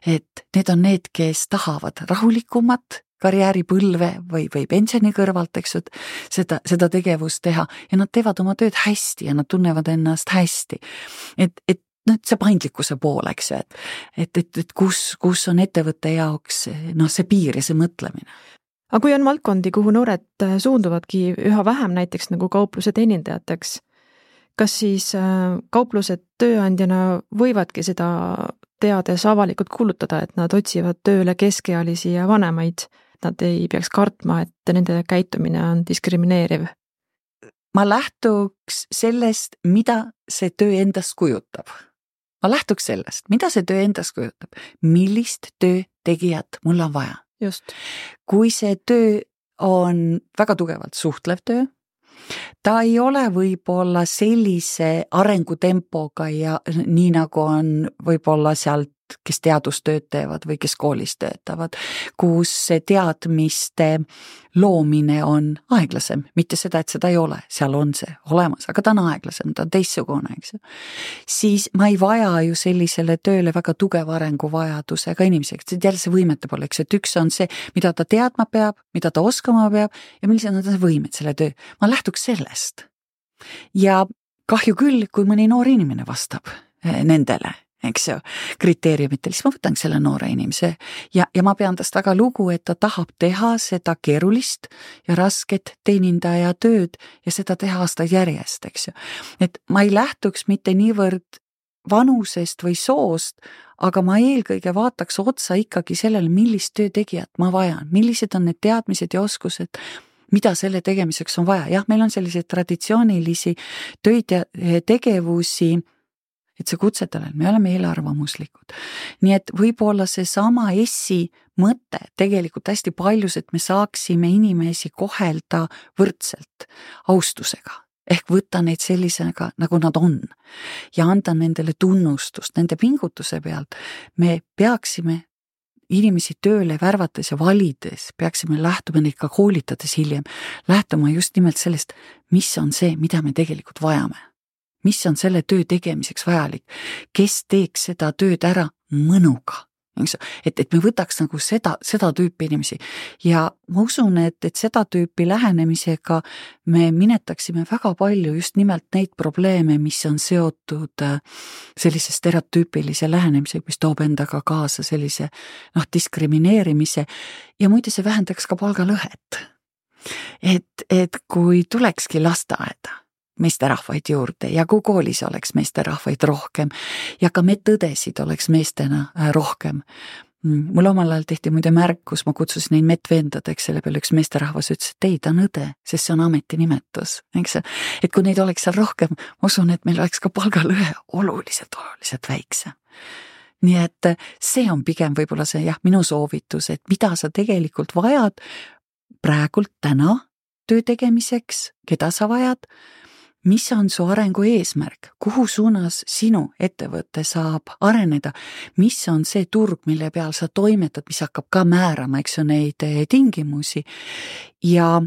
Et need on need, kes tahavad rahulikumat karjääripõlve või pensioni kõrvalt, eks, seda tegevust teha ja nad teevad oma tööd hästi ja nad tunnevad ennast hästi. Et see paindlikkuse pool, eks ju, et kus on ettevõtte jaoks see piir ja see mõtlemine. Aga kui on valdkondi, kuhu noored suunduvadki üha vähem näiteks nagu kaupluse teenindajateks, kas siis kauplused tööandjana võivadki seda teades avalikult kuulutada, et nad otsivad tööle keskealisi ja vanemaid, nad ei peaks kartma, et nende käitumine on diskrimineeriv? Ma lähtuks sellest, mida see töö endast kujutab. Ma lähtuks sellest, mida see töö endast kujutab. Millist töötegijat mul on vaja? Just. Kui see töö on väga tugevalt suhtlev töö, ta ei ole võib-olla sellise arengutempoga ja nii nagu on võib-olla sealt, kes teadustööd teevad või kes koolis töötavad, kus see teadmiste loomine on aeglasem, mitte seda, et seda ei ole, seal on see olemas, aga ta on aeglasem, ta on teistsugune, eks ju. Siis ma ei vaja ju sellisele tööle väga tugeva arenguvajadusega inimesega, see jälle see võimete poole, eks, et üks on see, mida ta teadma peab, mida ta oskama peab ja millised on see võimed selle töö. Ma lähtuks sellest. Ja kahju küll, kui mõni noor inimene vastab nendele, eks ju, kriteeriumitel, siis ma võtan selle noore inimese ja ma pean tast väga lugu, et ta tahab teha seda keerulist ja rasket teenindaja tööd ja seda teha aastaid järjest, eks ju. Et ma ei lähtuks mitte niivõrd vanusest või soost, aga ma eelkõige vaataks otsa ikkagi sellele, millist töötegijat ma vajan, millised on need teadmised ja oskused, mida selle tegemiseks on vaja. Jah, meil on selliseid traditsioonilisi töid ja tegevusi, et see kutsetalel, me oleme eelarvamuslikud. Nii et võib-olla see sama essi mõte tegelikult hästi paljus, et me saaksime inimesi kohelda võrdselt austusega, ehk võtta neid sellisega, nagu nad on ja anda nendele tunnustust, nende pingutuse pealt. Me peaksime inimesi tööle värvates ja valides, peaksime lähtuma neid ka koolitades hiljem, lähtuma just nimelt sellest, mis on see, mida me tegelikult vajame. Mis on selle töö tegemiseks vajalik, kes teeks seda tööd ära mõnuga. et me võtaks nagu seda tüüpi inimesi ja ma usun, et seda tüüpi lähenemisega me minetaksime väga palju just nimelt neid probleeme, mis on seotud sellise stereotüüpilise lähenemisega, mis toob endaga kaasa sellise diskrimineerimise ja muide see vähendaks ka palgalõhet. Et kui tulekski lasteaeda meesterahvaid juurde ja kui koolis oleks meesterahvaid rohkem ja ka medõdesid oleks meestena rohkem. Mul omal ajal tehti muide märkus, ma kutsusin neid medvendadeks, selle peale üks meesterahvas ütles, et ei, ta on õde, sest see on ametinimetus. Et kui neid oleks seal rohkem, ma usun, et meil oleks ka palgalõhe oluliselt väiksem. Nii et see on pigem võib-olla see minu soovitus, et mida sa tegelikult vajad praegult täna töö tegemiseks, keda sa vajad, mis on su arengu eesmärk, kuhu suunas sinu ettevõte saab areneda, mis on see turg, mille peal sa toimetad, mis hakkab ka määrama, eks ju, neid tingimusi. Ja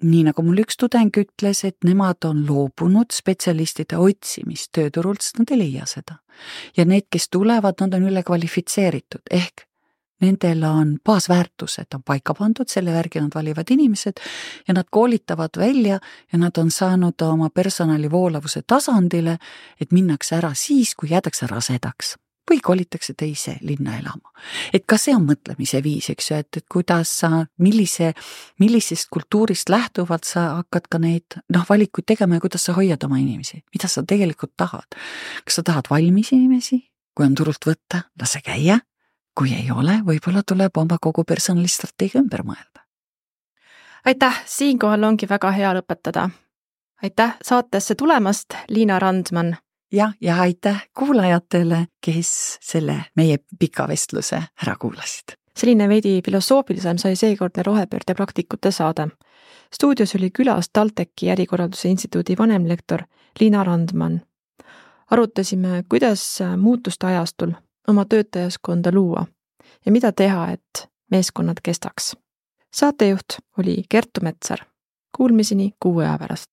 nii nagu mul üks tudeng ütles, et nemad on loobunud spetsialistide otsimist tööturult, sest nad ei leia seda. Ja need, kes tulevad, nad on ülekvalifitseeritud, ehk nendel on baasväärtused on paika pandud, selle värgi nad valivad inimesed ja nad koolitavad välja ja nad on saanud oma personali voolavuse tasandile, et minnakse ära siis, kui jäädakse rasedaks või kolitakse teise linna elama. Et ka see on mõtlemise viis, eks ju, et kuidas sa, millisest kultuurist lähtuvalt sa hakkad ka neid valikuid tegema ja kuidas sa hoiad oma inimesi, mida sa tegelikult tahad. Kas sa tahad valmis inimesi, kui on turult võtta, lase käia? Kui ei ole, võib-olla tuleb oma kogu personalistrateegia ümber mõelda. Aitäh, siinkohal ongi väga hea lõpetada. Aitäh saatesse tulemast, Liina Randman. Ja aitäh kuulajatele, kes selle meie pika vestluse ära kuulasid. Selline veidi filosoofilisem sai seekordne rohepöörde praktikute saade. Stuudios oli külas TalTechi ärikorralduse instituudi vanemlektor Liina Randman. Arutasime, kuidas muutuste ajastul oma töötajaskonda luua ja mida teha, et meeskonnad kestaks. Saatejuht oli Kertu Metsar. Kuulmiseni 6 aja pärast.